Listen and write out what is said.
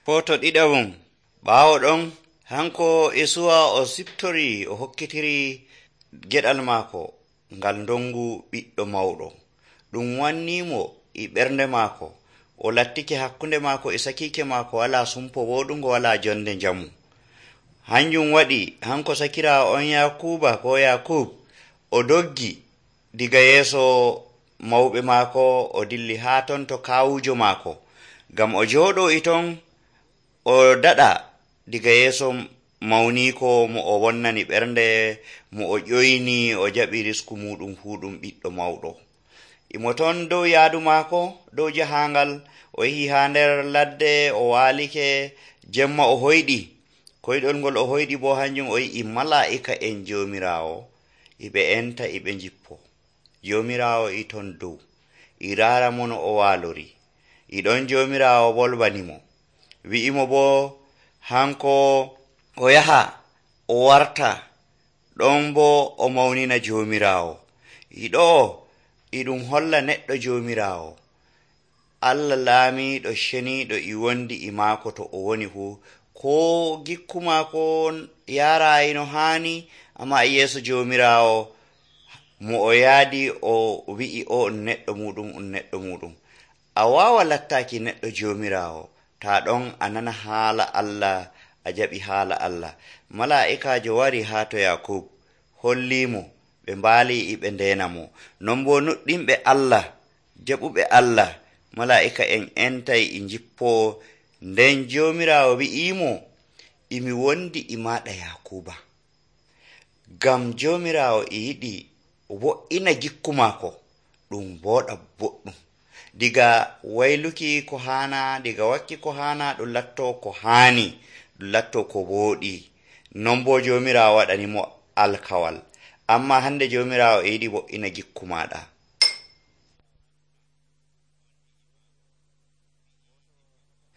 Poto ɗiɗawum ɓaawo ɗon hanko Isuwa o siftori o hokkitiri geɗal maako ngal ndongu ɓiɗɗo mawɗo. Ɗum wannimo e ɓernde maako. O lattike hakkunde maako e sakiike maako walaa sumpo woɗungo, walaa jonde njamu. Hanjum waɗi hanko sakiraawo on Yakub o doggi diga yeeso mawɓe maako o dilli haa ton to kaawujo maako, ngam o jooɗo e ton o daɗa diga yeeso mawniiko mo o wonnani ɓernde, mo o ƴoyni o jaɓi risku muɗum fuu ɗum ɓiɗɗo mawɗo. Imo ton dow yaadu maako, dow jahaangal, o yehi haa nder ladde, o waalike, jemma o hoyɗi. Koyɗol ngol o hoyɗi bo hanjum o yi'i malaa'ika en Joomiraawo iɓe enta iɓe njippo. Joomiraawo e ton dow, e raara mo no o waalori. E ɗon Joomiraawo bolbanimo, wi'imo bo hanko o yaha o warta ɗon bo o mawnina Joomiraawo. E ɗo'o e ɗum holla neɗɗo Joomiraawo, Allah laamiiɗo ceniiɗo e wondi e maako to o woni fuu, ko gikku maako yaaraayi no haani, amma e yeeso Joomiraawo mo o yaadi o wi'i o neɗɗo muɗum. A waawa lattaaki neɗɗo Joomiraawo taa ɗon a nana haala Allah, a jaɓi haala Allah. Malaa'ikaajo wari haa to Yakub holliimo, ɓe mbaali e ɓe ndeena mo. Non bo nuɗɗinɓe Allah, jaɓuɓe Allah, malaa'ika en entay e njippoo. Nden Joomiraawo wi'iimo, imi wondi e maaɗa Yakuba, ngam Joomiraawo e yiɗi wo'ina gikku maako ɗum booɗa boɗɗum. Diga wayluki ko haana, diga wakki ko haana, ɗum lattoo ko haani, ɗum lattoo ko wooɗi. Non bo Joomiraawo waɗanimo alkawal. Amma hande Joomiraawo e yiɗi wo'ina gikku maaɗa.